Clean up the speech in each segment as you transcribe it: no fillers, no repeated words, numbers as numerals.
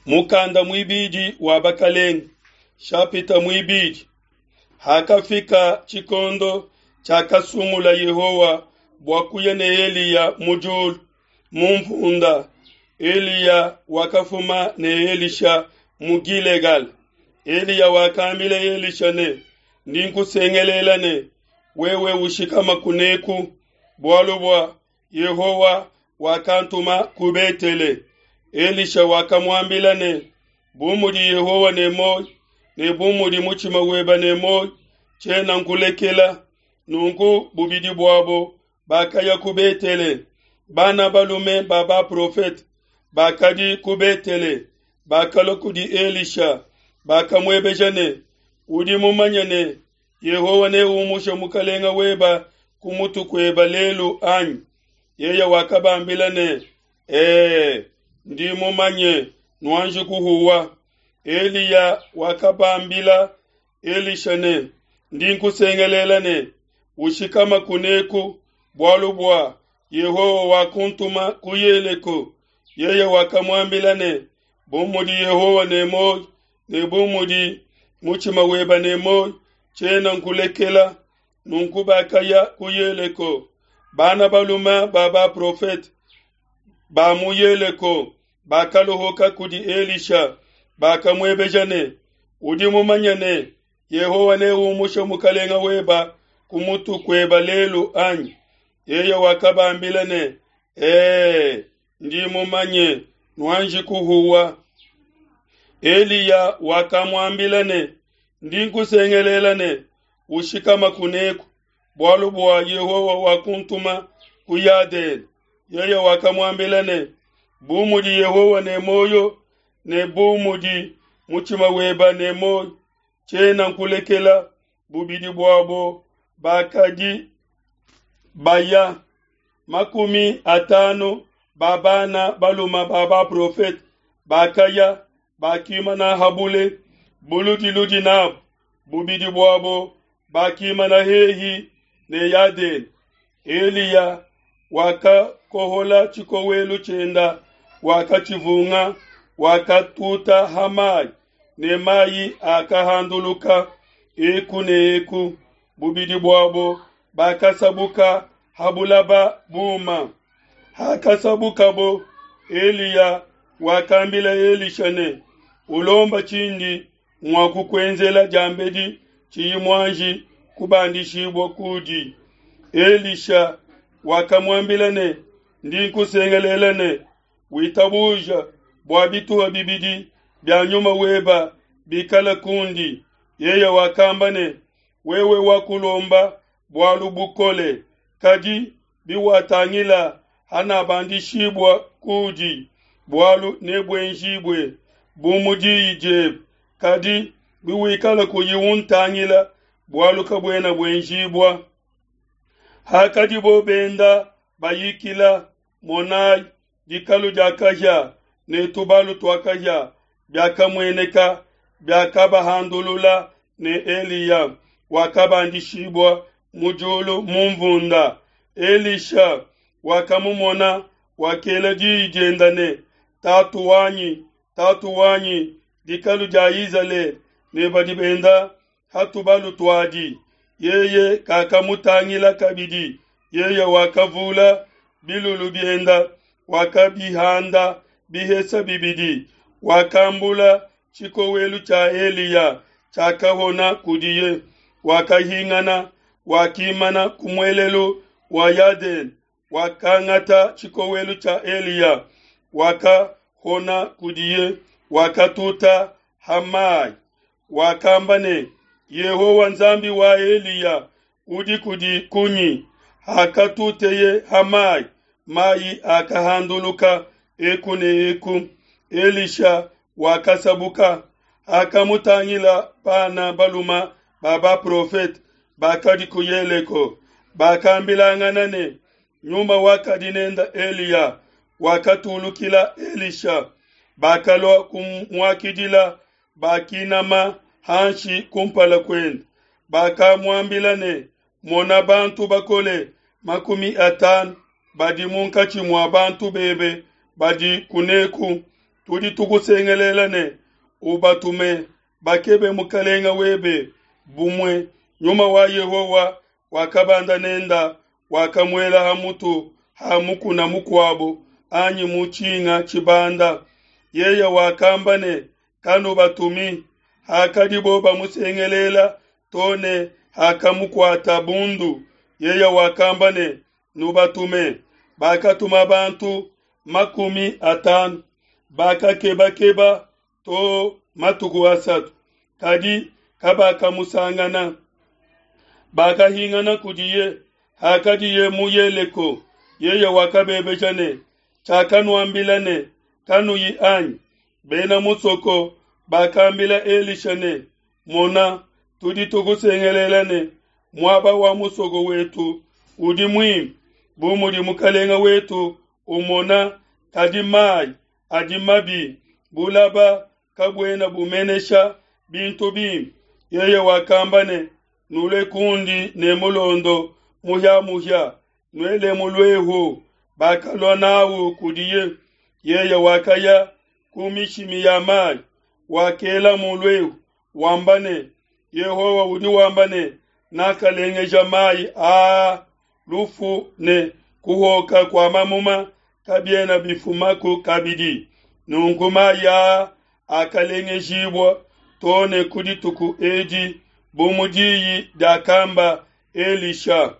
Mukanda muibidi wa Bakelenge, shapita muibidi. Hakafika tshikondo tshiakasungula Yehowa bua kuya ne Eliya mu diulu mu nvunda, Eliya wakafuma ne Elisha mu Gilegala. Eliya wakambila Elisha ne, Ndi nkusengelela ne, wewe ushikama kuneku, bualu bua Yehowa wakantuma ku Betele. Elisha wakamuambila ne, Bu mudi Yehowa ne muoyo ne bu mudi mutshima webe ne muoyo, tshiena nkulekela. Nunku bubidi buabo bakaya ku Betele. Bana balume ba baprofete bakadi ku Betele bakalua kudi Elisha, bakamuebeja ne, Udi mumanye ne, Yehowa neumushe mukalenge weba ku mutu kueba lelu anyi? Yeye wakabambila ne, Ee, ndi mumanye, nuanji kuhuwa. Eliya wakabambila Elisha ne, Ndi nkusengelela ne, ushikama kuneku, bualu bua Yehowa wakuntuma ku Yeleko. Yeye wakamuambila ne, Bu mudi Yehowa ne muoyo ne bu mudi mutshima weba ne muoyo, tshiena nkulekela. Nunku bakaya ku Yeleko. Bana balume ba baprofete ba mu Yeleko bakalohoka kudi Elisha, bakamuebeja ne, Udi mumanye ne, Yehowa neumushe mukalenge weba ku mutu kueba lelu anyi? Yeye wakabambila ne, Ee, ndi mumanye, nuanji kuhuwa. Eliya wakamuambila ne, Ndi nkusengelela ne, ushikama kuneku, bualu bua Yehowa wakuntuma ku Yadene. Yeye wakamuambila ne, Bu mudi Yehowa ne muoyo ne bu mudi mutshima weba ne muoyo, tshiena nkulekela. Bubidi buabo bakadi baya 50 ba bana balume ba baprofete bakaya, bakimana ha bule buludiludi nabo. Bubidi buabo bakimana hehi ne Yadene. Eliya wakakohola tshikowelu tshienda, wakatshivunga, wakatuta ha mayi, ne mayi akahanduluka eku ne eku. Bubidi buabo bakasabuka ha bulaba buma. Hakasabukabo, Eliya wakambila Elisha ne, Ulomba tshindi mua kukuenzela diambedi tshiyi muanji kubandishibua kudi. Elisha wakamuambila ne, Ndi nkusengelela ne, witabuja bua bituha bibidi bia nyuma weba bikale kundi. Yeye wakamba ne, Wewe wakulomba bualu bukole, kadi biwatangila hanabandishibua kudi, bualu nebuenjibue bu mu diyi diebe, kadi biwikala kuyi untangila, bualu kabuena buenjibua. Hakadibo benda bayikila, monai, dikalu dia kahia ne tubalu tua kahia biakamueneka, biakabahandulula ne Eliya wakabandishibua mu diulu mu nvunda. Elisha wakamumona, wakela diyi dienda ne, Tatu wanyi, tatu wanyi, dikalu dia Izalele ne badi benda ha tubalu tuadi. Yeye kakamutangila kabidi, yeye wakavula bilulu bienda, wakabihanda bihesa bibidi, wakambula tshikowelu tshia Eliya tshiakahona kudiye, wakahingana, wakimana ku muelelu wa Yadene, wakangata tshikowelu tshia Eliya, wakahona kudiye, wakatuta ha mai. Wakamba ne, Yehowa Nzambi wa Eliya udi kudi kunyi? Hakatuteye ha mai, mai akahanduluka eku ne eku. Elisha wakasabuka. Hakamutangila bana balume ba baprofete bakadi ku Yeleko, bakambilangana ne, Nyuma wakadi nenda Eliya wakatulukila Elisha. Bakalua kumuakidila, bakinama hanshi kumpala kuende. Bakamuambila ne, Mona, bantu bakole 50 badi munkatshi mua bantu bebe badi kuneku. Tudi tukusengelela ne, Ubatume, bakebe mukalenge webe. Bumue nyuma wa Yehowa wakabanda nenda, wakamuela ha mutu ha mukuna mukuabo anyi mu tshinga tshibanda. Yeye wakamba ne, Kanubatumi. Hakadibo bamusengelela to ne hakamukuata bundu, yeye wakamba ne, Nubatume. Bakatuma bantu 50, bakakebakeba to matuku asatu, kadi kabakamusangana. Bakahingana kudiye hakadiye mu Yeleko. Yeye wakabebeja ne, Tshiakanuambila ne, Kanuyi anyi? Bena musoko bakambila Elisha ne, Mona, tudi tukusengelela ne, muaba wa musoko wetu udi muimpe, bu mudi mukalenge wetu umona, kadi mai adi mabi, bulaba kabuena bumenesha bintu bimpe. Yeye wakamba ne, Nulue kundi ne mulondo muhia-muhia, nuelemu luehu. Bakalua n'au kudiye. Yeye wakaya ku mishimi ya mai, wakelamu luehu, wamba ne, Yehowa udi wamba ne, Nakalengeja mai aa, lufu ne kuhoka kua mamuma kabiena bifumaku kabidi. Nunku mai aa akalengejibua to ne ku dituku edi, bu mu diyi diakamba Elisha.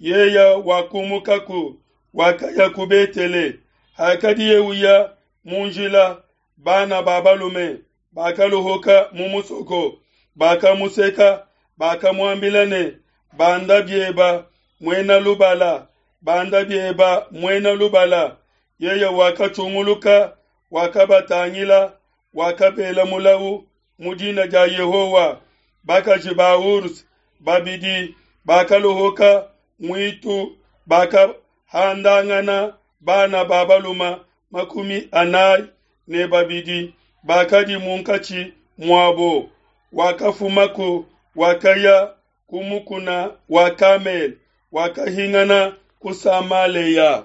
Yeye wakumukaku, wakaya ku Betele. Hakadiye uya mu njila, bana ba balume bakaluhuka mu musoko, bakamuseka, bakamuambila ne, Banda bieba, muena lubala, banda bieba, muena lubala. Yeye wakatshunguluka, wakabatangila, wakabela mulau mu dina dia Yehowa. Bakaji ba ours babidi bakaluhuka muitu, bakahandangana bana ba balume 42 bakadi munkatshi muabo. Wakafumaku, wakaya ku mukuna wa Kamele, wakahingana ku Samalea.